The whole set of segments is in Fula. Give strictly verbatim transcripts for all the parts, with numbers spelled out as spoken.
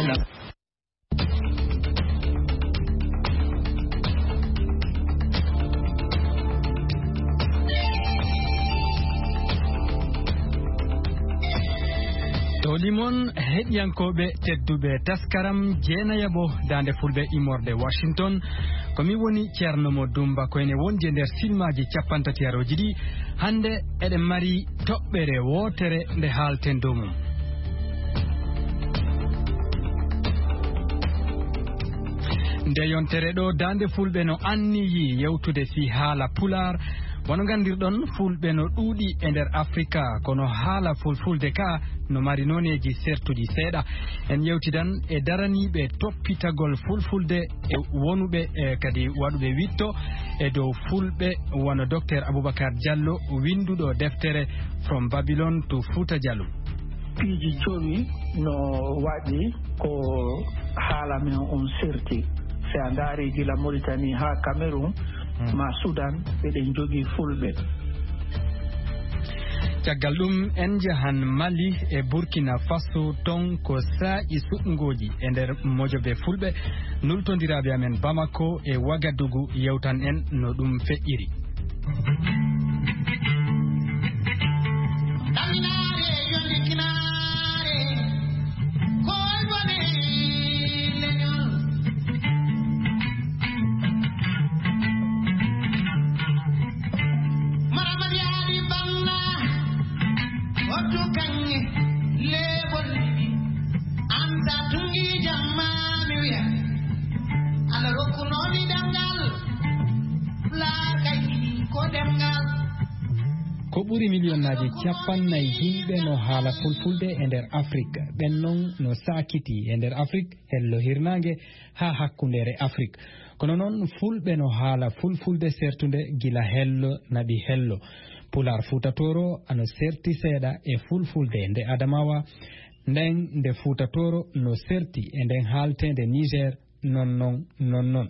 Toli mon heɗiyankooɓe tedduɓe, taskaram jeenayaɓo daande fulɓe immorde Washington. Ko mi woni Ceerno Mo Dumba, ko ene wondi e nder silmaaji cappantatiyarooji ɗi. Hannde eɗen mari toɓɓere wootere nde haalten dow mum. Nde yontere ɗo, Daande Fulɓe no anniyi yewtude fii haala Pulaar. Wano nganndirɗon, Fulɓe no ɗuuɗi e nder Afrika, kono haala Fulfulde ka no mari nooneeji sertuɗi seeɗa. En yewtidan e daraniiɓe toppitagol Fulfulde e wonuɓe, e kadi waɗuɓe witto e dow Fulɓe, wano Docteur Aboubacar Diallo, winnduɗo deftere From Babylon to Fouta Djallon. Piiji jowi no waɗi ko haala men on serti. Si a ndaari gila Mauritanie haa Cameroun, hmm, ma Sudan, eɗen jogii Fulɓe. Caggal ɗum, en njahan Mali e Burkina Faso, ton ko saa'i suɓngooji e nder mojobe Fulɓe. Nultondiraaɓe amen Bamako e Wagadugu yewtan en no ɗum feƴƴiri. Ɗaminaare yo ndikinaare, ko woni leñol. Maramadiyaari banna, wattu kaŋŋe, leeɓol, an sa tungi jamma mi wiya, Allah rokkunoo mi ɗemngal. Ko ɓuri miliyonnaaji cappannayi yimɓe no haala fulfulde e nder Afrik. Ɓen non no saakiti e nder Afrik, hello hirnaange haa hakkundeere Afrik. Kono non, fulɓe no haala fulfulde sertunde gila hello naɓi hello. Pulaar Fuuta Tooro ano serti seeɗa e fulfulde nde Adamawa, nden nde Fuuta Tooro no serti e nden haalteende Niger, non non, non non.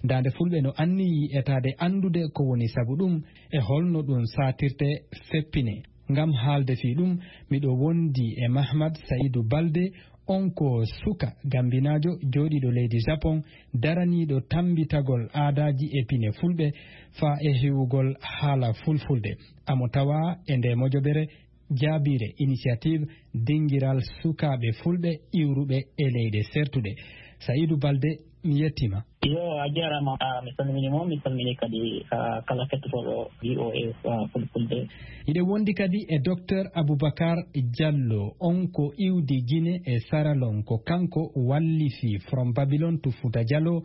Daande Fulɓe no anniyi etaade anndude ko woni sabu ɗum e holno ɗum saatirte feppine. Ngam haalde fii ɗum, miɗo wondi e Mahmad Saïdou Balde, on ko suka gambinaajo jooɗiiɗo leydi Japon, daraniiɗo tammbitagol aadaaji e pine Fulɓe faa e hiwugol haala fulfulde. Amo tawaa e ndee mojobere jaabiire Initiative Dingiral Sukaaɓe Fulɓe Iwruɓe e Leyɗe Sertuɗe. Saïdou Balde, mi yettii ma. Yo, a jaaraama, a, mi salmini mo, mi salmini kadi, a, kala kettotooɗo V O A, a, Fulfulde. Hiɗen wondi kadi e Docteur Aboubacar Diallo, on ko iwdi Gine e Saralon, ko kanko wallifi From Babylon to Fouta Djallon,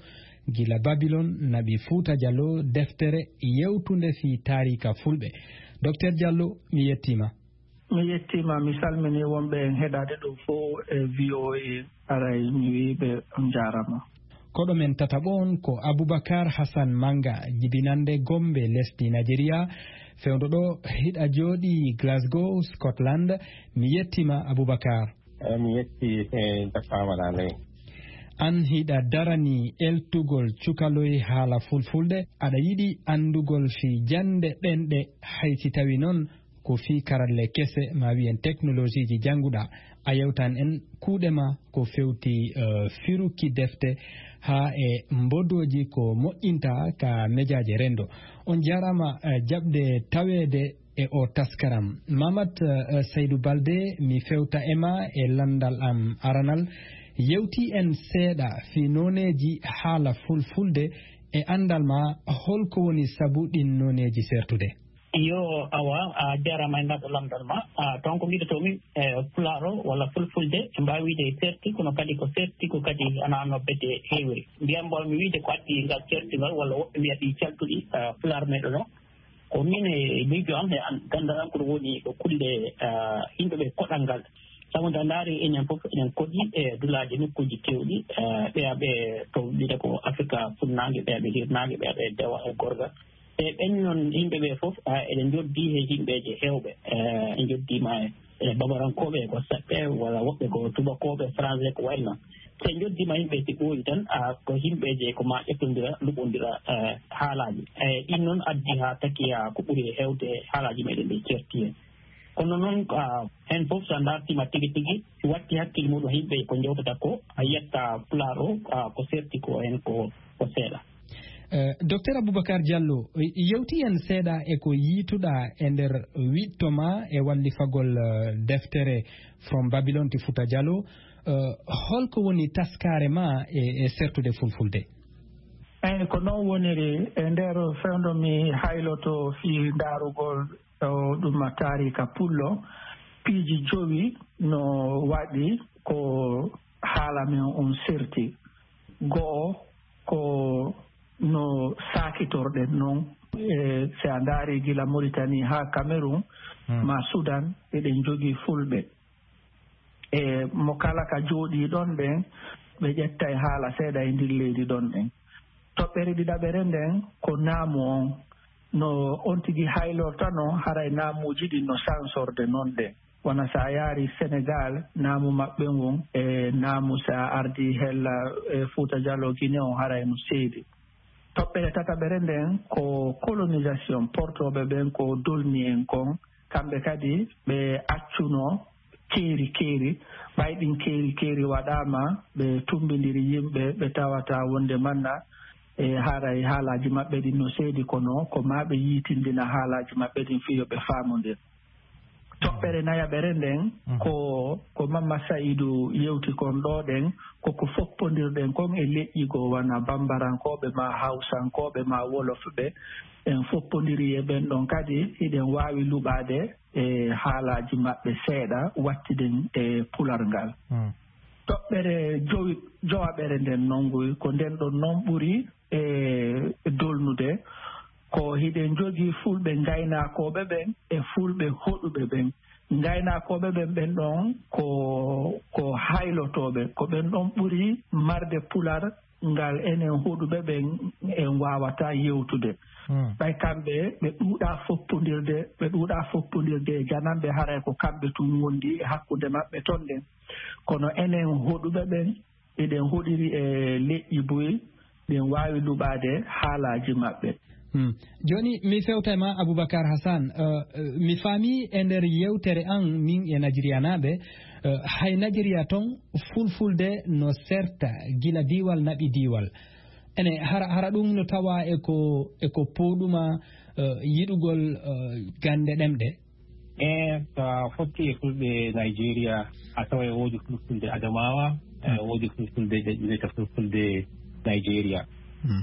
gila Babylon naɓi Fouta Djallon, deftere yewtunde fii taariika Fulɓe. Docteur Diallo, mi yettii ma. Mi yettiima, mi salminii wonɓe en heɗaade ɗo fof e V O A. Aray, mi wiyi ɓe on njaaraama. Koɗo men tataɓo on ko Aboubacar Hassan Manga, jibinannde Gombe, lesdi Najeriya, fewndo ɗo hiɗa jooɗii Glasgow, Scotland. Mi yettiima, Aboubacar. Eey, mi yetti, e jaɓɓaama ley. An hiɗa darani eltugol cukaloy haala fulfulde, aɗa yiɗi anndugol fii jannde ɗemɗe, hay si tawi non ko fii karalle kese, ma wiyen teknolojiiji jannguɗaa. A yewtan en kuuɗe ma ko fewti, eh, firuki defte haa e mbodooji ko moƴƴinta ka mejaaje renndo. On jaaraama, eh, jaɓde taweede e o taskaram. Mamat, eh, Saydou Balde, mi fewta e ma e lanndal am aranal. Yewti en seeɗa fii nooneeji haala fulfulde e anndal ma, holko woni sabu ɗin nooneeji sertude? Yo, awa, a jaaraama e ngal ɗo lamndal ma. A, toon ko mbiɗotoo-mi, e, Pulaar o walla Fulfulde, en mbaawi wiyde serti, kono kadi ko serti, ko kadi ana no bedde heewiri. Mbiyan mbaawmi wiyde ko addi ngal serti ngal, walla woɓɓe mbiya ɗi caltuɗi, e, Pulaar meɗen o. Ko min e miijo am e an-, ganndal am ko ɗum woni ko kulle, e, yimɓe ɓe koɗal ngal. Sabu nde a ndaari enen fof, enen koɗi e dulaaji nokkuuji keewɗi, e, ɓeya ɓe to wiyde ko Afrika funnaange, ɓeya ɓe hirnaange, ɓeya ɓe dewa e gorga. E ɓen noon yimɓe ɓe fof, a, eɗen njoddii he yimɓeeje heewɓe, e, en njoddiima e, e babarankooɓe ko seɓɓe, walla woɓɓe ko tubakooɓe, français, ko wayi noon. So en njoddiima yimɓe si ɓooyi tan, a, ko yimɓeeje ko maa ƴettondira, luɓondira, e, haalaaji. E, ɗin noon addi haa taki, a, ko ɓuri heewde haalaaji meɗen ɗi certi heen. Kono noon, ah, heen fof, so a ndaartiima tigi tigi, si watti hakkille muɗum yimɓe ko njewtata ko, a yiyat pulaar o, ah, ko serti ko heen ko, ko seeɗa. Eh, Docteur Aboubacar Diallo, yewti en seeɗa e ko yiituɗa e nder wiɗto ma e wallifagol, eh, deftere From Babylon to Fouta Djallon. Eh, holko woni taskaare ma e, e sertude fulfulde? Eyi, ko noon woniri. E nder fewndo mi hayloto fii ndaarugol o ɗum taariika pullo, piiji jowi no waɗi ko haala men on serti. Go'o ko no saakitorɗen noon. E, si a ndaari gila Mauritanie haa Cameroun, Hmm. ma Sudan, eɗen jogii fulɓe. E mo kala ka jooɗii ɗon ɓen, ɓe ƴettay haala seeɗa e ndin leydi ɗon ɗen. Toɓɓere ɗiɗaɓere nden ko naamu on. No on tigi haylorta no haray naamuuji ɗin no sansorde non ɗen. Wona si a yaari Senegal, naamu maɓɓe ngun e naamu si a ardi hella e Fuuta Jaloo Gine on haray no seedi. Toɓɓere tataɓere nden ko colonisation, portooɓe ɓen ko dolni en kon, kamɓe kadi ɓe accuno keeri keeri, ɓay ɗin keeri keeri waɗaama, ɓe tumbindiri yimɓe, ɓe tawata wonde manna e haray haalaaji maɓɓe ɗin no seedi, kono ko maa ɓe yiitindina haalaaji maɓɓe ɗin fii yo ɓe faamondir. Toɓɓere nayaɓere nden, Mhm. ko, ko Mamma Sa'idu yewti kon ɗoo ɗen, ko ko foppondirɗen kon e leƴƴi goo, wona Bambarankooɓe maa Hawsankooɓe maa Wolofɓe, en foppondiri e ɓen ɗon kadi, hiɗen waawi luɓaade e haalaaji maɓɓe seeɗa, wattiden e pular ngal. Hmm. Toɓɓere jowi-, jowaɓere nden non ngoy, ko nden ɗon non ɓuri e dolnude, ko hiɗen jogii fulɓe ngaynaakooɓe ɓen e fulɓe hoɗuɓe ɓen. Ngaynaakooɓe ɓen, ɓen ɗon ko, ko haylotooɓe, ko ɓen ɗon ɓuri marde pular ngal enen hoɗuɓe ɓen en waawataa yewtude. Hmm. Ɓay kamɓe, ɓe ɗuuɗaa foppondirde, ɓe ɗuuɗaa foppondirde e jananɓe, haray ko kamɓe tun wondi e hakkunde maɓɓe ton ɗen. Kono enen hoɗuɓe ɓen, eɗen hoɗiri e leƴƴi buy, ɗen waawi luɓaade haalaaji maɓɓe. Hmm. Jooni, mi fewta e ma, Aboubacar Hassan. Eh, eh, mi faami e nder yewtere an, min e Najeriyanaaɓe, eh, hay Najeriya ton, fulfulde no serta gila diiwal naɓi diiwal. Ene, hara, hara ɗum no tawa e ko, e ko pooɗuma, eh, yiɗugol, eh, gannde ɗemɗe? E, so a fotti e fulɓe Nigeria, a tawa e woodi fulfulde Adamawa, e, woodi fulfulde ɓe wiyata fulfulde Nigeria,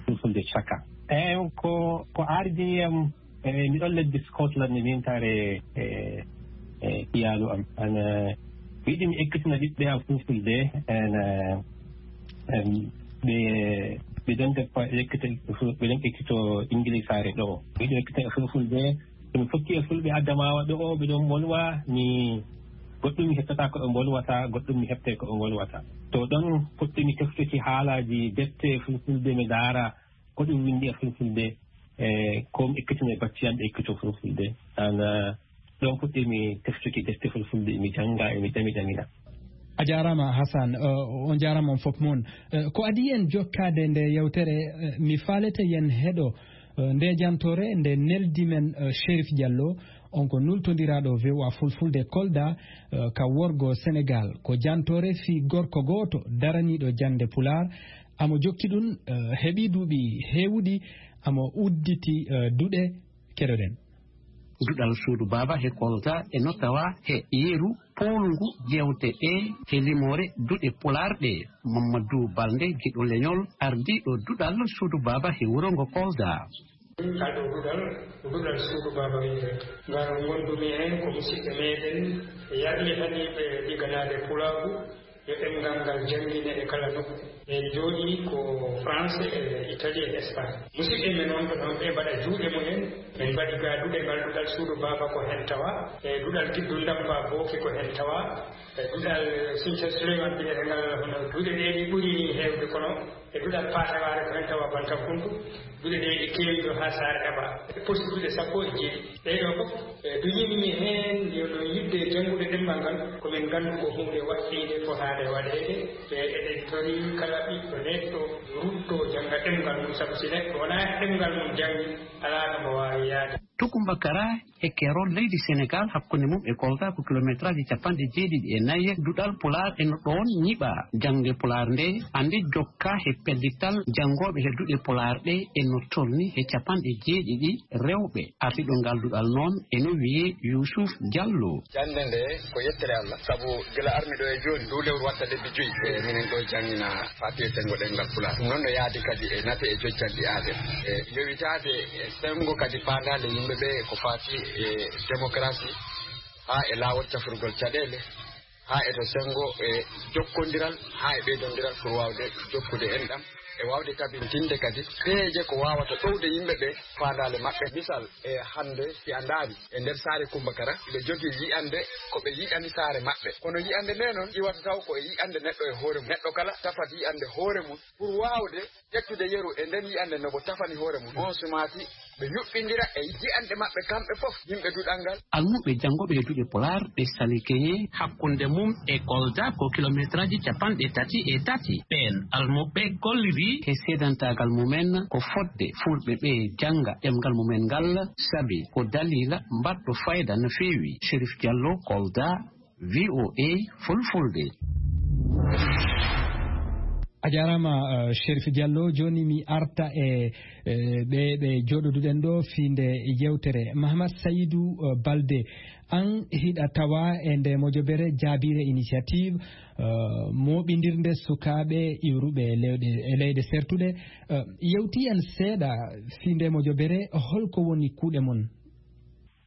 fulfulde Chaka. E, ko, ko ardini am, e, mi ɗon leddi Scotland, mi mintare, e, e, iyaalu am. An, e, mi yiɗi mi ekkitina ɓiɓɓe am fulfulde, en, e, em, ɓe, ɓe ɗon deppa ekkita, ɓe ɗon ekkito Ingilisaare ɗo. Mi yiɗi mi ekkitina fulfulde, to mi fotti e fulɓe Adamawa ɗo, o, ɓe ɗon mbolwa, mi, goɗɗum mi heɓtata ko ɓe mbolwata, goɗɗum mi heɓtay ko ɓe mbolwata. To ɗon fuɗɗi mi teftuki haalaaji defte fulfulde, mi ndaara ko ɗum winndi e fulfulde, e ko mi ekkitina e bacci am ɓe ekkito fulfulde. An, eh, ɗon fuɗɗi mi teftuki defte fulfulde, mi jannga, e mi jami jamina. A jaaraama, Hassan. Eh, on jaaraama on fof mon. Eh, ko adii en jokkaade nde yewtere, eh, mi faalete yen heɗo, eh, nde jantoore nde neldi men, eh, Chérif Diallo, on ko nultondiraaɗo V O A Fulfulde Kolda, eh, ka worgo Senegal. Ko jantoore fii gorko gooto daraniiɗo jannde Pulaar. Amo jokki ɗum, eh, heɓi duuɓi heewuɗi, amo udditi, eh, duɗe. Keɗoɗen. Duɗal suudu baaba he Kolda e no tawa he yeru poolngu jewte ɗe he limoore duɗe Pulaar ɗe. Mamadou Balde, giɗo leñol, ardiiɗo duɗal suudu baaba he wuro ngo Kolda. Ngal ɗo duɗal, ko duɗal suudu baaba wiyetee. Ngal ngondumi heen ko musidɓe meeɗen yarlitaniiɓe ɗiganaade Pulaagu, yo ɗemngal ngal janngine e kala nokku. En njooɗii ko France e Italie e Espagne. Musidɓe men wonɓe ɗoon ɓe mbaɗa juuɗe mumen. Min mbaɗi ga duɗe ngal duɗal suudu baaba ko heen tawa, e duɗal Giddu Ndamba Booki ko heen tawa, e duɗal Sinthiou Souleymane mbiyetee ngal, hono duɗe ɗe ɗi ɓuri ni heewde kono, e duɗal Paatawaare ko heen tawa Bantakundu, duɗe ɗe ɗi keewi ɗo haa Saare Heɓa. E poste duɗe sappo e jeeɗiɗi. Ɗee ɗoo fof, e, duñinmi heen yo no yiɗde janngude ɗemngal ngal, ko min nganndu ko huunde waɗɗiinde fotaade waɗeede, e eɗen torii kala ɓiɗɗo neɗɗo rutto jannga ɗemngal mum, sabu si neɗɗo wonaa ɗemngal mum janngi, alaa ɗo mo waawi yaade. Tukumba Kara e keerol leydi Senegaal, hakkunde mum e Kolda ko kilomeetraaji capanɗe jeeɗiɗi e nayi. Duɗal Pulaar e no ɗoon ñiɓaa. Jaŋde Pulaar nde, annde jokkaa he pellital janngooɓe he duɗe Pulaar ɗe e no tolni he capanɗe jeeɗiɗi rewɓe. Ardiiɗo ngal duɗal noon e no wiyee Yuusuf Jallo. Jannde nde ko yettere Allah, sabu gila armi ɗo e jooni, ndu lewru watta lebbi joyi, e minen ɗo janngina faati e senngo ɗemngal Pulaar. Ɗum noon no yaadi kadi e nafe e jojjanɗi aadee. E yowitaade e senngo kadi faandaale yimɓe ɓe ko faati e démocratie, haa e laawol cafrugol caɗeele, haa e to senngo e jokkondiral, haa e ɓeydondiral pour waawde jokkude enɗam, e waawde tabintinde kadi peeje ko waawata ɗowde yimɓe ɓe faandaale maɓɓe. Misal, e hannde, si a ndaari e nder saare Kummba Kara, ɓe jogii yi'annde ko ɓe yi'ani saare maɓɓe. Kono yi'annde nde noon iwata taw ko e yi'annde neɗɗo e hoore mum. Neɗɗo kala tafat yi'annde hoore mum pour waawde ƴettude yeru e nden yi'annde no ko tafani hoore mum. On sumaati ɓe yuɓɓindira e yi'annde maɓɓe kamɓe fof, yimɓe duɗal ngal. Almuɓɓe janngooɓe e duɗe Pulaar ɗe Sali Keñe, hakkunde mum e Kolda ko kilomeetraaji capanɗe tati e tati. Ɓeen almuɓɓe kolliri he seedantaagal mumen ko fotde Fulɓe ɓe jannga ɗemngal mumen ngal, sabi ko daliila mbaɗɗo fayda no feewi. Cherif Diallo, Kolda, V O A Fulfulde. A jaaraama, eh, Cherif Diallo. Jooni mi arta e, eh, ɓe, ɓe jooɗoduɗen ɗo fii nde yewtere. Mahamat Sayidu, eh, Balde, aan hiɗa tawa e nde mojobere Jaabiire Initiative, eh, mooɓindirnde sukaaɓe iwruɓe e leyɗe, e leyɗe sertuɗe. Eh, yewti en seeɗa fii nde mojobere, holko woni kuuɗe mon?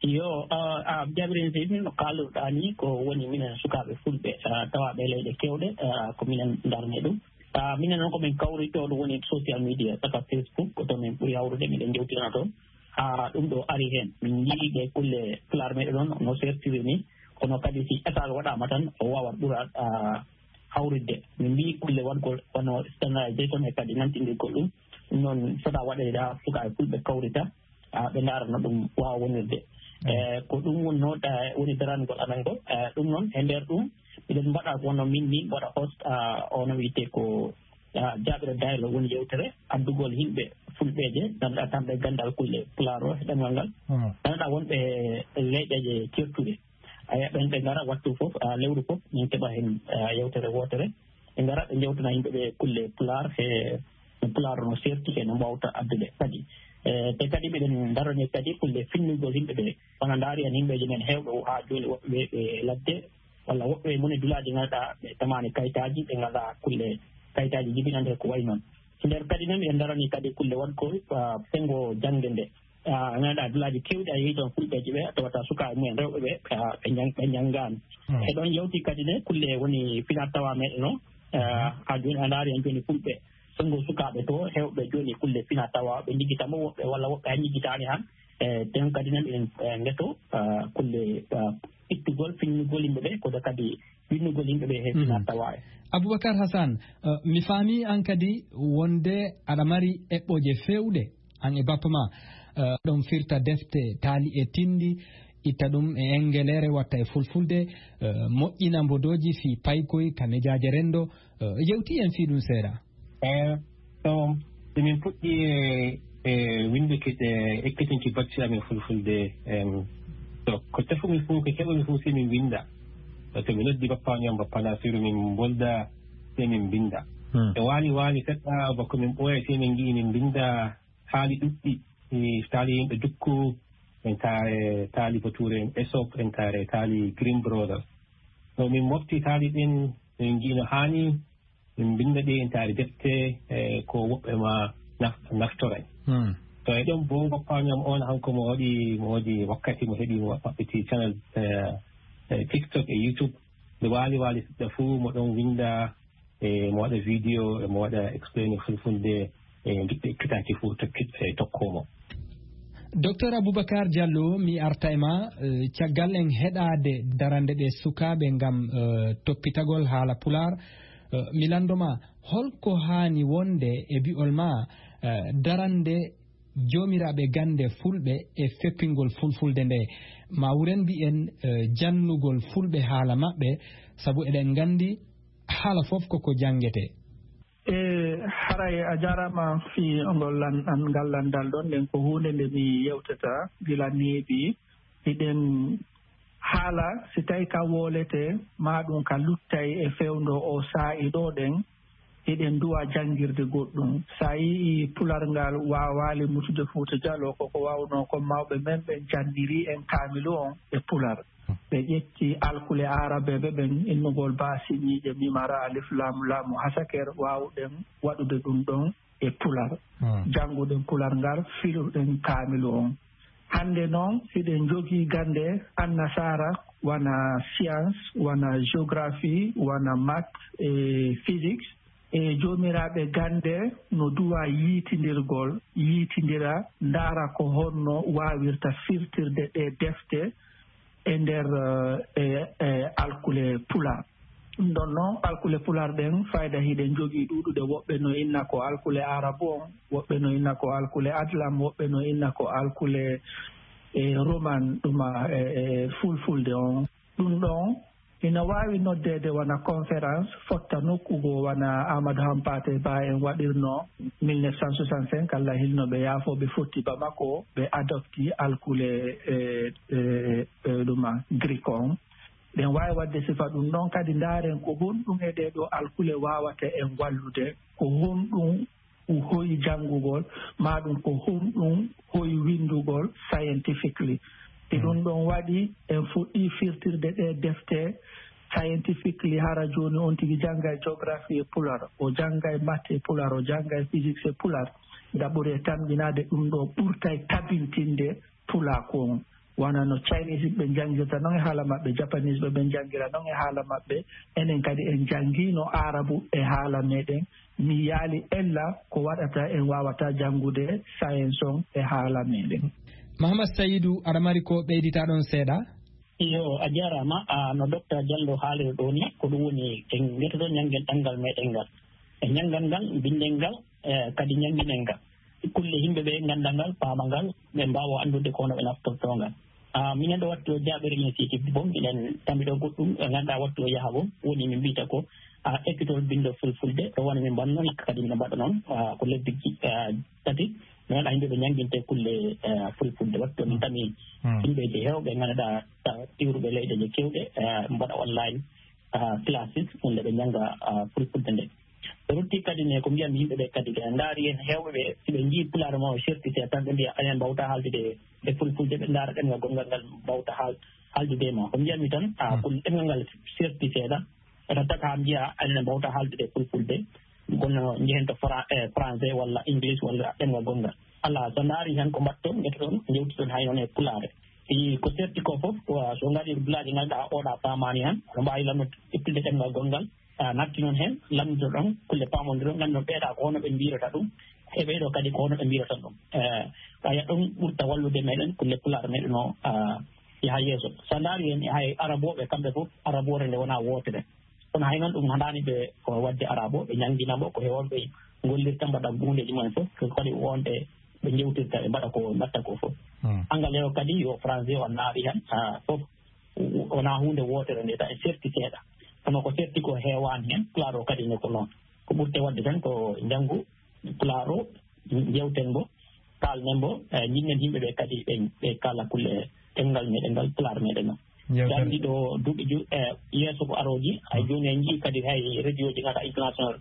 Yo, ah, ah, Jaabiire Initiative, no kaalirɗaa ni, ko woni minen sukaaɓe Fulɓe, ah, tawaaɓe e leyɗe keewɗe, ah, ko minen ndarnee ɗum. Ah, minen noon ko min kawri to ɗum woni social media, saka Facebook, ko to min ɓuri hawrude, miɗen njewtidana toon. Haa ɗum ɗo ari heen, min njii ɗe kulle Pulaar meɗen noon no sertiri ni, kono kadi si état waɗaama tan, o waawat ɓura, ah, hawritde. Min mbii kulle waɗgol wano standardisation e kadi nantindirgol ɗum. Ɗum noon fota waɗeede haa sukaaɓe Fulɓe kawrita, ah, ɓe ndaara no ɗum waawa wonirde. E, ko ɗum wonnoo, eh, woni darangol amen ngol. E, ɗum noon, e nder ɗum, miɗen mbaɗa wonno min ni, mbaɗa host, ah, ono wiyetee ko, ah, Jaaɓira Dialogue, woni yewtere addugol yimɓe Fulɓeeje, ngannduɗaa kamɓe ganndal kulle Pulaar o e ɗemngal ngal. Hmm. Ngannduɗaa wonɓe e leyɗeeje ceertuɗe. Aya, ɓen ɓe ngara wattu fof, ah, lewru fof, min keɓa heen, ah, yewtere wootere. Ɓe ngara ɓe njewtana yimɓe ɓe kulle Pulaar, he no Pulaar no serti, he no mbaawta addude kadi. E, te kadi miɗen ndarani kadi kulle finnugol yimɓe ɓe. Wona ndaari en yimɓeeji men heewɓe o haa jooni woɓɓe ɓe, ɓe ladde, walla woɓɓe moni dulaaji ngannduɗaa ɓe tamaani kayitaaji, ɓe ngalaa kulle kayitaaji jibinande ko wayi noon. So nder kadi noon miɗen ndarani kadi kulle waɗgol, ah, senngo jaŋde nde. Ah, ngannduɗaa dulaaji keewɗi a yehi toon Fulɓeeji ɓe, a tawata sukaaɓe mumen rewɓe ɓe, ah, ɓe njang-, ɓe njanngaani. Hmm. E ɗoon yewti kadi ne kulle woni finaa tawa meɗen o, ah, haa jooni a ndaari en jooni Fulɓe. Senngo sukaaɓe to, heewɓe jooni kulle finaa tawa, ɓe njiggita mo woɓɓe walla woɓɓe hay njiggitaani han. E, ɗeen kadi ne miɗen, eh, ndeto, ah, kulle, ah, ittugol, finnugol yimɓe ɓe, kono kadi winnugol yimɓe ɓe he, hmm, finaa tawa e. Aboubacar Hassane, eh, mi faami aan kadi wonde aɗa mari eɓɓooje feewɗe. Aan e bappa ma, eh, ɗon firta defte taali e tinndi, itta ɗum e engeleere, watta e fulfulde, eh, moƴƴina mbodooji fii paykoy ka mejaaje renndo. Eh, yewti en fii ɗum seeɗa. Eh, so, so min puɗɗi e, e winnduki ɗe ekkitinki bacci amin fulfulde, em, to, ko tefumi fof, ko keɓumi fof, si min winnda. To mi noddi bappa ñam, bappa Nasiru, min mbolda, si min mbinnda. Hmm. E waali waali seɗɗa, bako min ɓooya, si min ngi'i min mbinnda taali ɗuɗɗi, e taali yimɓe Dukku, en taare taali Bature, en Aesop, en taare taali Grimm Brothers. No min mofti taali ɗin, min ngi'i no haani, min mbinnda ɗi en taari defte, e ko woɓɓe ma naf-, naftoray. Hmm. To e ɗon bo, bappa ñam on, hanko mo waɗi, mo waɗi wakkati mo heɓi, mo maɓɓiti channel, e, e TikTok e YouTube. Nde waali waali seɗɗa fuu, mo ɗon winnda, e mo waɗa video, e mo waɗa explain fulfulde, e ngiɗɓe ekkitaaki fuu tokkit-, e tokkoo mo. Docteur Aboubacar Diallo, mi arta e ma, eh, caggal en heɗaade darande ɗe sukaaɓe ngam, eh, toppitagol haala Pulaar, eh, mi lanndo ma, holko haani wonde e bi'ol ma, eh, darande joomiraaɓe gannde Fulɓe e feppingol Fulfulde nde? Ma wuren mbi'en, eh, jannugol Fulɓe haala maɓɓe, sabu eɗen nganndi haala fof koko janngetee. E haray a jaaraama fii ngol lan-, an-, ngal lanndal ɗon, nden ko huunde nde mi yewtata gila neeɓi. hiɗen haala si tawi ka wooletee, maa ɗum ka luttay e fewndo o saa'i ɗo ɗen, hiɗen duwa janngirde goɗɗum. So a yii pular ngal waawaali mutude Fuuta Jaloo, ko ko waawno ko mawɓe men ɓen jannirii en kaamilu on e pular. Ɓe ƴetti alkule aarabeeɓe ɓen, innugol baasiniije mimara alif laamu laamu hasaker, waawuɗen waɗude ɗum ɗon e pular. Jannguɗen pular ngal, filuɗen kaamilu on. Hannde noon, hiɗen njogii gannde annasaara, wona science, wona géographie, wona maths e physics. E joomiraaɓe gannde no duwa yiitindirgol, yiitindira, ndaara ko honno waawirta firtirde ɗee defte e nder, eh, e, e alkule pular. Ɗum ɗon noon, alkule pular ɗen, fayda hiɗen njogii ɗuuɗuɗe, woɓɓe no inna ko alkule arabu on, woɓɓe no inna ko alkule adlam, woɓɓe no inna ko alkule, eh, roman, ɗuma, eh, eh, fulfulde on. Ɗum ɗon ina waawi noddeede wona conférence fotta nokku goo, wona Amadou Hampâté Bâ en waɗirno mille neuf cent soixante-cinq, Allah hilno ɓe, yaafo, ɓe fotti Bamako, ɓe adopti alkule, eh, eh, eh, ɗuma, Greek on. Ɗen waawi waɗde sifa ɗum ɗon kadi, ndaaren ko honɗum e ɗee ɗoo alkule waawata en wallude, ko honɗum hoyi janngugol, maa ɗum ko honɗum hoyi winndugol scientifically. Si ɗum ɗon waɗi, en fuɗɗii firtirde ɗee defte scientifically, hara jooni on tigi janngay géographie e pular, o janngay maths e pular, o janngay physics e pular. Nda ɓuri e tamƴinaade ɗum ɗo ɓurtay tabintinde pulaaku on. Wona no Chinese ɓe njanngirta non e haala maɓɓe, Japanese ɓe ɓe njanngira non e haala maɓɓe, enen kadi en njanngiino Aarabu e haala meɗen. Mi yaali ella ko waɗata en waawata janngude science on e haala meɗen. Mahamad Sayidu, aɗa mari ko ɓeydita ɗon seeɗa? Iyo, a jaaraama. A, no Docteur Diallo haaliri ɗoo ni, ko ɗum woni en ngetoɗon ñanngen ɗanngal meɗen ngal. E ñanngal ngal, mbinden ngal, e kadi ñannginen ngal. Kulle yimɓe ɓe ngannda ngal, paama ngal, ɓe mbaawa anndude ko hono ɓe naftortoo ngal. A, minen ɗo wattu o jaaɓere initiative bon, minen tammi ɗo goɗɗum, ɓe ngannda wattu o yaha bon, woni min mbiyta ko, a, ekkitol binndo fulfulde, ɗo woni min mbanno, hikka kadi min mbaɗa noon, a, ko lebbi ji-, a, tati, mi waɗa yimɓe ɓe ñannginte kulle, a, fulfulde. Wattu min tami yimɓeeji heewɓe ngannduɗaa, a, iwruɓe leyɗeeji keewɗe, a, mbaɗa online, a, classes, wonde ɓe njannga, a, fulfulde nde. Ɓe rutti kadi ne ko mbiyatmi yimɓe ɓe kadi, ɓe ndaari en heewɓe ɓe, si ɓe njii pulaar ma o certi seeɗa tan, ɓe mbiya, "Anen mbawta haaldude e fulfulde," ɓe ndaara ɗemngal gonngal ngal mbawta haal-, haaldude e ma. Ko mbiyatmi tan, a, ko ɗemngal ngal certi seeɗa, ɓe tottat haa mbiya, "Anen mbawta haaldude e fulfulde, kono njehen to Fra-, e, français walla English walla ɗemngal gonngal." Alaa, so ndaari tan ko mbaɗton, ngetoɗon, njewtiɗon hay noon e pulaare. Si ko certi ko fof, ko so ngaɗi blaaji ngannduɗaa oɗa paamaani tan, no mbaawi lamno ittude ɗemngal gonngal, a, natti noon heen, lamnitoɗon kulle paamondiron, ngannduɗon ɓeeɗa ko hono ɓe mbiyirata ɗum, e ɓeeɗo kadi ko hono ɓe mbiyirata ɗum. E, ɓaya ɗum ɓurta wallude meɗen, kulle pulaar meɗen o, a, yaha yeeso. So ndaari heen, e hay arabooɓe kamɓe fof, araboore nde wonaa wootere. Kono hay noon ɗum haɗaani ɓe ko waɗde arabo, ɓe ñanngina mo, ko he on ɓe ngollirta, mbaɗa huundeeji mumen fof, ko kadi wonde ɓe njewtirta, ɓe mbaɗa ko mbaɗta ko fof. Angalais o kadi, yo français o naari heen, a, fof wonaa huunde wootere nde, tawi serti seeɗa. Kono ko serti ko heewaani heen, pulaar o kadi ne ko noon. Ko ɓurte waɗde tan ko njanngu pulaar o, njewten mbo, kaalnen mbo, e, njiɗnen yimɓe ɓe kadi ɓe, ɓe kaala kulle ɗemngal meɗen ngal, pulaar meɗen o. Yewtere. Gandi ɗo duuɓi ju-, e, yeeso ko arooji, hay jooni en njii kadi hay radioji ngata international,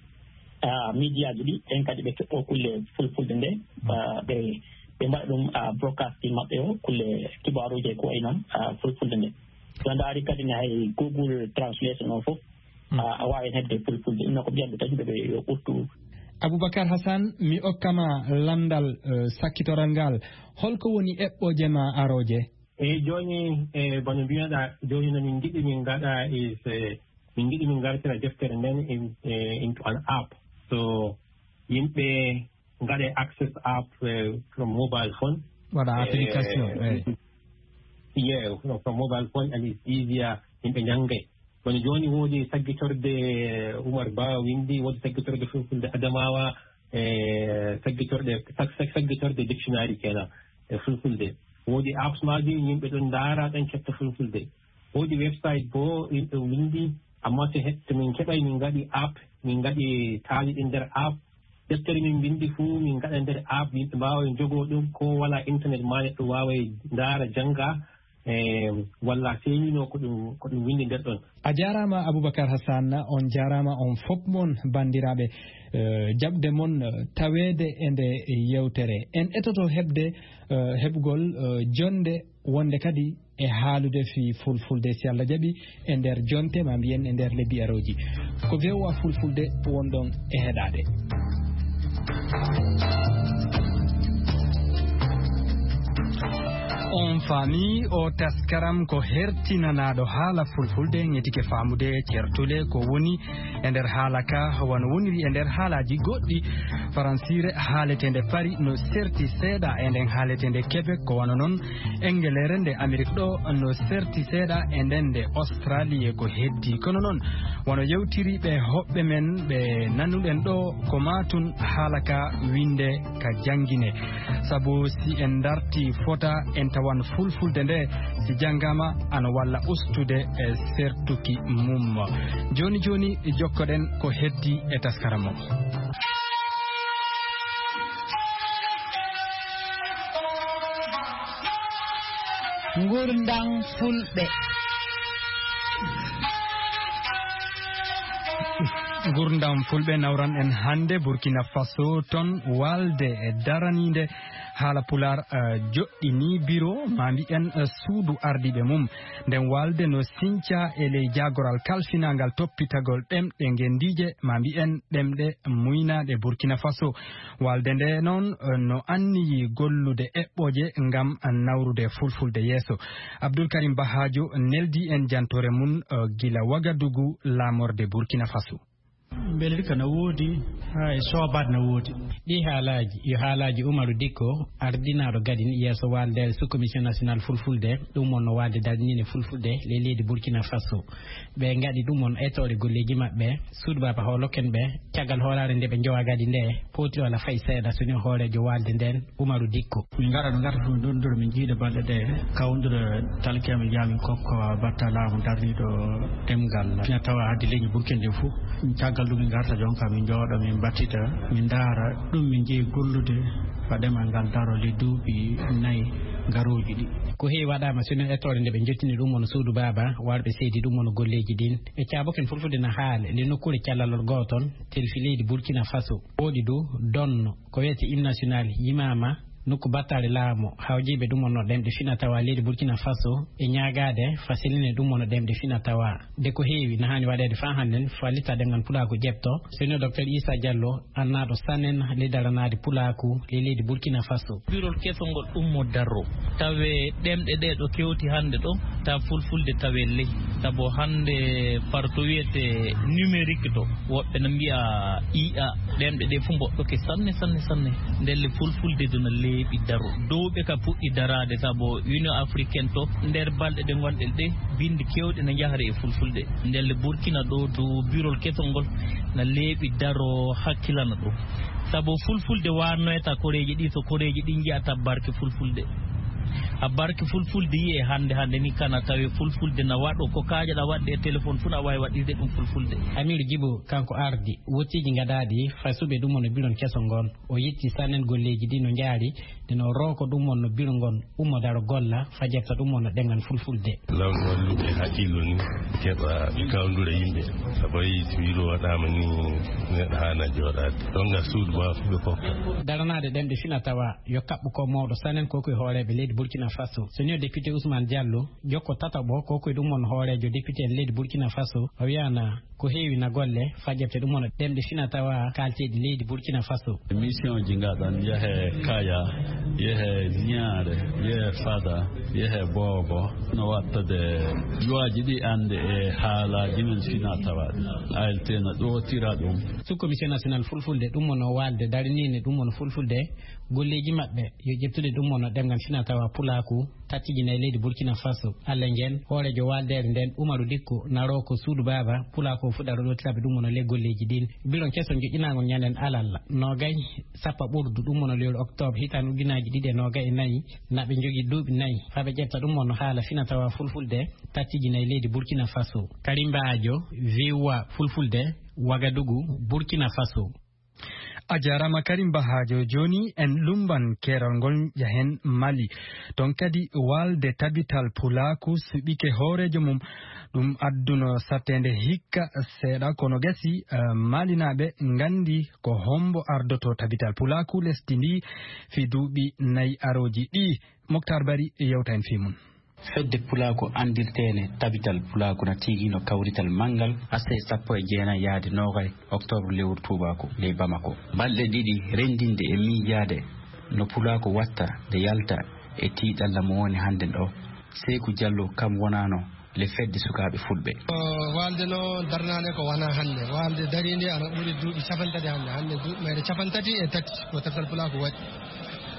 a, médiaji ɗi, ɓen kadi ɓe keɓɓo kulle fulfulde nde, a, ɓe, ɓe mbaɗa ɗum, a, broadcasting maɓɓe o, kulle kibaaruji e ko wayi noon, a, fulfulde nde. So a ndaari kadi ne hay Google Translation o fof, a, a waawi heɓde fulfulde. Ɗum noon ko mbiyatmi tan yimɓe ɓe yo ɓurtu. Aboubacar Hassan, mi okka ma lanndal, eh, sakkitoral ngal. Holko woni eɓɓooje ma arooje? Eyi, jooni, e, bano mbiyaɗa, jooni no min ngiɗi min ngaɗa is, e, min ngiɗi min ngartira deftere nden in, e, into an app. So yimɓe ngaɗe access app, e, from mobile phone. Waɗa, e, application, eyi. Yeah, from, from mobile phone and it's easier, yimɓe njanngay. Kono jooni woodi saggitorde Umar Ba winndi, woodi saggitorde Fulfulde Adamawa, e saggitorde, sag-, sag-, saggitorde dictionary kenan e Fulfulde. Woodi apps maaji, yimɓe ɗon ndaara, ɗon ketta Fulfulde. Woodi website bo yimɓe winndi, amma to he-, to min keɓay min ngaɗi app, min ngaɗi taali ɗin nder app. Deftere min mbinndi fuu min ngaɗa nder app, yimɓe mbaawa jogoo ɗum, ko walaa internet ma neɗɗo waaway ndaara, jannga. e walla feeñino ko ɗum ko ɗum windi nder ɗon. A jaaraama Aboubacar Hassan, on jaaraama on fof mon banndiraaɓe, eh, jaɓde mon, eh, taweede e nde yewtere. En etoto heɓde, eh, heɓgol, eh, jonde wonde kadi e haalude fii fulfulde, si Allah jaɓi, e nder jonte, ma mbiyen e nder lebbi arooji. Ko V O A Fulfulde wonɗon e heɗaade. On faami o taskaram ko hertinanaaɗo haala fulfulde, ngetike faamude certule ko woni e nder haala ka, wano woniri e nder haalaaji goɗɗi, faransiire haaleteende Paris no serti seeɗa e nden haaleteende Québec, ko wano non Engeleere nde Amerik ɗo no serti seeɗa e nden nde Australie e ko heddi. Kono non, wano yewtiri ɓe hoɓɓe men ɓe nanuɗen ɗo, ko maa tun haala ka winde ka janngine. Sabu si en darti fota, en tawan fulfulde nde, si janngaama, ano walla ustude e sertuki mum. Jooni jooni, jokkoɗen ko heddi e taskara mo. Ngurndam Fulɓe. Ngurndam Fulɓe nawran en hannde Burkina Faso, ton waalde e daraniinde haala Pulaar, eh, joɗɗini biro, ma mbi'en, eh, suudu ardiiɓe mum. Nden waalde no sinca e ley jaagoral kalfinaangal toppitagol ɗemɗe ngenndiije, ma mbi'en ɗemɗe muynaaɗe Burkina Faso. Waalde nde noon, eh, no anniyi gollude eɓɓooje ngam nawrude fulfulde yeeso. Abdul Karim Bahajo neldi en jantoore mum, eh, gila Wagadugu, laamorde Burkina Faso. Mbelirka na woodi, haa e soobaade na woodi. Ɗii haalaaji, yo haalaaji Umaru Dikko, ardinaaɗo gadin yeeso waaldeere sous-commission nationale fulfulde, ɗum wonno waalde darniinde fulfulde ley leydi Burkina Faso. Ɓe ngaɗi ɗum on etoore golleeji maɓɓe, suudu baaba hooloken ɓe, caggal hoolaare nde ɓe njowa gadi nde, pooti wala fay seeɗa so ni hooreejo waalde nden, Umaru Dikko. Min ngara, min ngara ɗum ɗon ɗo min jiida balɗe ɗe, kawndira talkiya min njaha min kokka batta laamu darniiɗo ɗemngal. Fina tawa hadde leñi Burkina nde fof. Caggal ɗum min ngarta jonka min njooɗo min mbattita, min ndaara ɗum min jeeyi gollude, fa ɗemal ngal daro le duuɓi nayi garooji ɗi. Ko heewi waɗaama sino etoore nde ɓe njottini ɗum on suudu baaba, warɓe seedi ɗum on golleeji ɗin. Ɓe caaboken fulfulde na haale le nokkuure callalol gooton, telfi leydi Burkina Faso. Woodi du donno, ko wiyete hymne national, yimaama nokku battaale laamu, hawjiiɓe ɗum on no ɗemɗe fina tawa leydi Burkina Faso, e ñaagaade faseline ɗum on no ɗemɗe fina tawa. De ko heewi na haani waɗeede faa hannden, fallita ɗemngal pulaaku ƴeɓto, sino Docteur Issa Diallo, annaaɗo sanen ley daranaade pulaaku ley leydi Burkina Faso. Birol kesol ngol ɗum mo darro, tawe ɗemɗe ɗe ɗo kewti hannde ɗo, ta fulfulde tawe ley. Sabu hannde par to wiyete numérique to, woɓɓe na mbiya I A, ɗemɗe ɗe fof mboɗɗoke sanne, sanne, sanne. Ndelle fulfulde duna leeɓi daro. Dowɓe ka puɗɗi daraade, sabu Union Africaine to, nder balɗe ɗe ngonɗen ɗe, bindi kewɗe na njahre e fulfulde. Ndelle Burkina ɗo, dow birol kesol ngol, na leeɓi daro hakkilana ɗum. Sabu fulfulde warnoyta koreeji ɗi, so koreeji ɗi njiyata barke fulfulde. A barke fulfulde yi'e hannde, hannde ni kana tawe fulfulde na waɗo ko kaajaɗa waɗde e téléphone fuu, na waawi waɗirde ɗum fulfulde. Amiru Jibo, kanko ardi wottiiji gadaaɗi fasuɓe ɗum on e biron kesol ngol. O yetti sanen golleeji ɗi no njaari, nde no rooko ɗum on no biro ngon, ummo daro golla, fajirta ɗum on no ɗemngal fulfulde. Law no walluɓe hakkillo ni, keɓa kawndura yimɓe. Sabu a yii so wiro waɗaama ni, neɗɗo haana jooɗaade. Ɗon ngal suudu ma fu ɓe kokka. Daranaade ɗemɗe fina tawa, yo kaɓɓu ko mawɗo sanen ko ko e hooreeɓe leydi Burkina Faso. So ni o député Ousmane Diallo, jokko tataɓo ko ko e ɗum on hooreejo député en leydi Burkina Faso, o wiyaana ko heewi na golle fajirte ɗum on ɗemɗe fina tawa kaalteeɗi leydi Burkina Faso. Mission ji ngaɗan yehe Kaya, yehe Niare, yehe Fada, yehe Bobo. No wattade luwaaji ɗi annde e haalaaji men fina tawa. A L T na ɗootira ɗum. Sous commission national fulfulde ɗum on o waalde dariniinde ɗum on fulfulde golleeji maɓɓe yo ƴettude ɗum on ɗemngal fina tawa pulaaku. Tattijinay leydi Burkina Faso. Alla ngen, hooreejo waaldeere nden, Umaru Dikko, naroo ko suudu baaba, pulaa ko fuɗɗa ɗootiraɓe ɗum wona le golleeji ɗin. Biron keso joƴƴinaango ñanden alal, noogay, sappa ɓurdu ɗum wona lewru oktoobre hitaan ujunaaji ɗiɗi e noogay e nayi, na ɓe njogii duuɓi nayi, faa ɓe ƴetta ɗum wona haala fina tawa fulfulde, tattijinay leydi Burkina Faso. Karimba Ajo, V O A fulfulde, Wagadugu, Burkina Faso. A jaaraama Karim Bahajo. Jooni en lumban keerol ngol, njahen Mali. Toon kadi waalde Tabital Pulaaku suɓike hooreejo mum. Ɗum adduno satteende hikka seeɗa, kono gasi, eh, Malinaaɓe nganndi ko hombo ardoto Tabital Pulaaku lesdi ndi fii duuɓi nayi arooji ɗi. Moktar Bari yewta en fii mum. Fedde Pulaaku anndirteene Tabital Pulaaku na tiigino kawrital manngal aset sappo e jeenayi yaade noogay oktoobar lewru tuubaaku ley Bamako. Balɗe ɗiɗi renndinde e miijaade no Pulaaku watta nde yalta e tiiɗalla mo woni hannde ɗo. Seeku Jallo kam wonaano le fedde sukaaɓe Fulɓe. Ko waalde no darnaande ko wonaa hannde. Waalde dariinde ana ɓuri duuɓi cappanɗe tati hannde. Hannde duuɓi mayre cappanɗe tati e tati ko Tabital Pulaaku waɗi.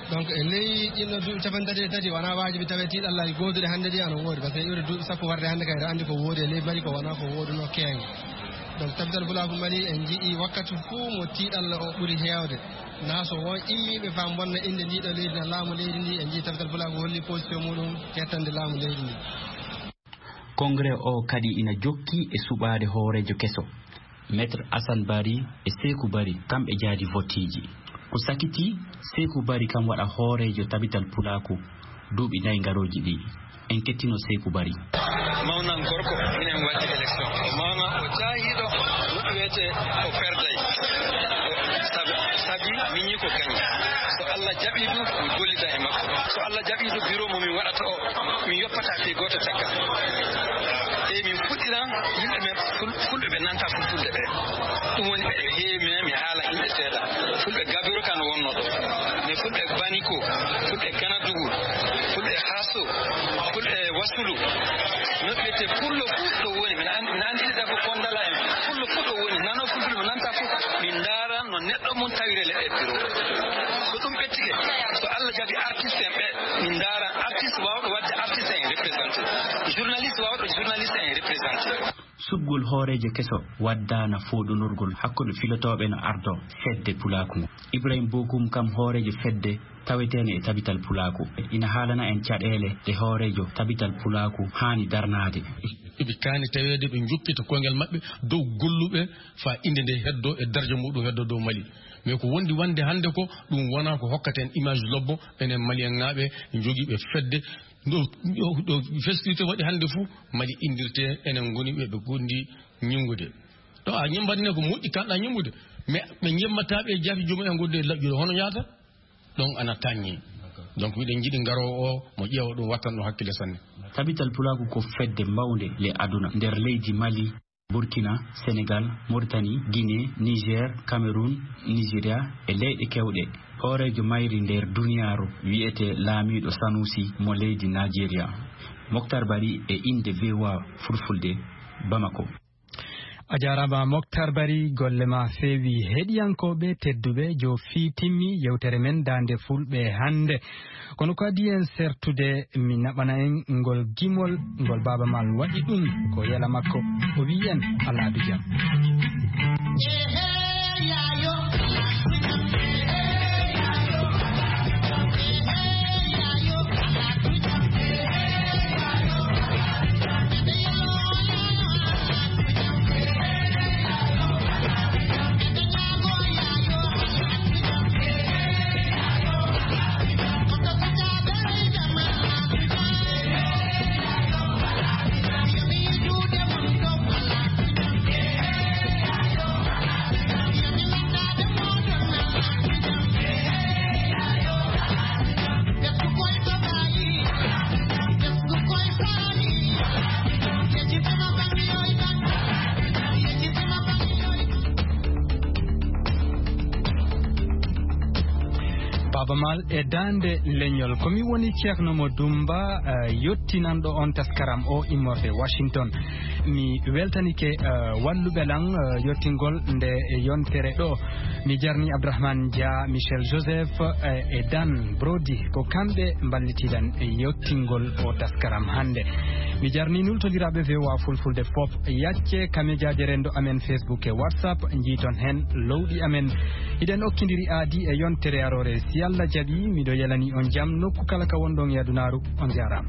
Donc, e ley ɗinno duuɓi cappanɗe tati e tati, wonaa waajibi tawee tiiɗallaaji gooduɗi hannde ɗi ana woodi, par ce que iwde duuɓi sappo warde hannde kay, eɗen anndi ko woodi e ley Mali, ko wonaa ko woodunoo keeŋa. Donc, Tabital Pulaaku Mali, en njiɗi wakkati fuu mo tiiɗalla o ɓuri heewde. Naa so won immiiɓe faa mbonna innde ndii ɗoo leydi, na laamu leydi ndii, en njii Tabital Pulaaku holli position muɗum hettande laamu leydi ndii. Congrès o kadi ina jokki e suɓaade hooreejo keso. Maître Assane Bari e Seeku Bari, kamɓe jaadi vottiiji. Ko sakiti, Seeku Bari kam waɗa hooreejo Tabital Pulaaku duuɓi nayi garooji ɗi. En kettino Seeku Bari. Mawnan gorko, minen waɗi élection. O mawna, o jaahiiɗo, no wiyetee o perday. Sabi, sabi miñi ko gañi. So Allah jaɓii ɗum, mi gollida e makko. So Allah jaɓii ɗum, biro mo min waɗata o, min yoppata fii gooto caggal. E min fuɗɗiran yimɓe men ful-, fulɓe ɓe nanta fulfulde ɓe. Ɗum woni ɓe heewi, mi, mi haala yimɓe seeɗa. Fulɓe Gabiro kan wonno ɗo. Mais fulɓe Baniko, fulɓe Ganadugu, fulɓe Haso, fulɓe Wasulu. No ɓe te pullo fuu ɗo woni, min an-, min anndi ɗiɗa ko Kondala en. Pullo fuu ɗo woni, nano fulfulde mo nanta fuu. Min ndaara no neɗɗo mum tawire le e biro. So ɗum ɓettike, so Allah jaɓi artiste en ɓe, min ndaara artiste waawɗo waɗde artiste en représenté. Journaliste waawɗo journaliste en représenté. Suɓgol hooreejo keso waddaana fooɗondirgol hakkunde filotooɓe no ardo fedde Pulaaku ngo. Ibrahim Bokum kam hooreejo fedde taweteene e Tabital Pulaaku. Ina haalana en caɗeele ɗe hooreejo Tabital Pulaaku haani darnaade. Eɓe kaani taweede ɓe njokkita koyngel maɓɓe dow golluɓe faa innde nde heddoo e darja muɗum heddoo dow Mali. Mais ko wondi wonde hannde ko, ɗum wonaa ko hokkata en image lobbo, enen Malienŋaaɓe njogiiɓe fedde. Ɗo, ɗo, ɗo festirte waɗi hannde fuu, Mali inndirte, enen ngoni ɓe ɓe gondi ñinngude. Ɗo a ñembat ne ko moƴƴi kanɗa ñemmude, mais ɓe ñemmataa ɓe jaati joomum en godde laƴƴude, hono yaata? Ɗon ana taññi. Donc, miɗen njiɗi ngaroowo o, mo ƴeewa ɗum, wattan ɗum hakkille sanne. Tabital Pulaaku ko fedde mawnde le aduna, nder leydi Mali, Burkina, Senegal, Mauritanie, Guinée, Niger, Cameroun, Nigeria e leyɗe kewɗe. Hooreejo mayri nder duniyaaru wiyetee laamiiɗo Sanusi mo leydi Nigeria. Moktar Bari e innde V O A Fulfulde, Bamako. A jaaraama, Moktar Bari, golle ma feewi. Heɗiyankooɓe tedduɓe, jo fii timmi yewtere men Daande Fulɓe hannde. Kono ko adii en sertude, mi naɓana en ngol gimol ngol Baaba Maal waɗi ɗum ko yela makko. O wi'i en, alaa du jam. Baaba Maal e daande leñol. Ko mi woni Ceerno Mo Dumba, eh, yottinanɗo on taskaram o immorde Washington. Mi weltanike, eh, walluɓe lan, eh, yottingol nde yontere ɗo. Mi jarni Abdourahmane Dia, Michel Joseph, eh, e Dan Brody. Ko kamɓe mballitiɗen e yottingol o taskaram hannde. Mi jarni nultondiraaɓe V O A Fulfulde fof. Yacce kamejaaje renndo amen Facebook e WhatsApp, njiiton heen lowɗi amen. Hiɗen okkindiri aadi e yontere aroore. Si Allah jaɓi, miɗo yelani on jam nokku kala ka wonɗon e adunaaru. On jaaraama.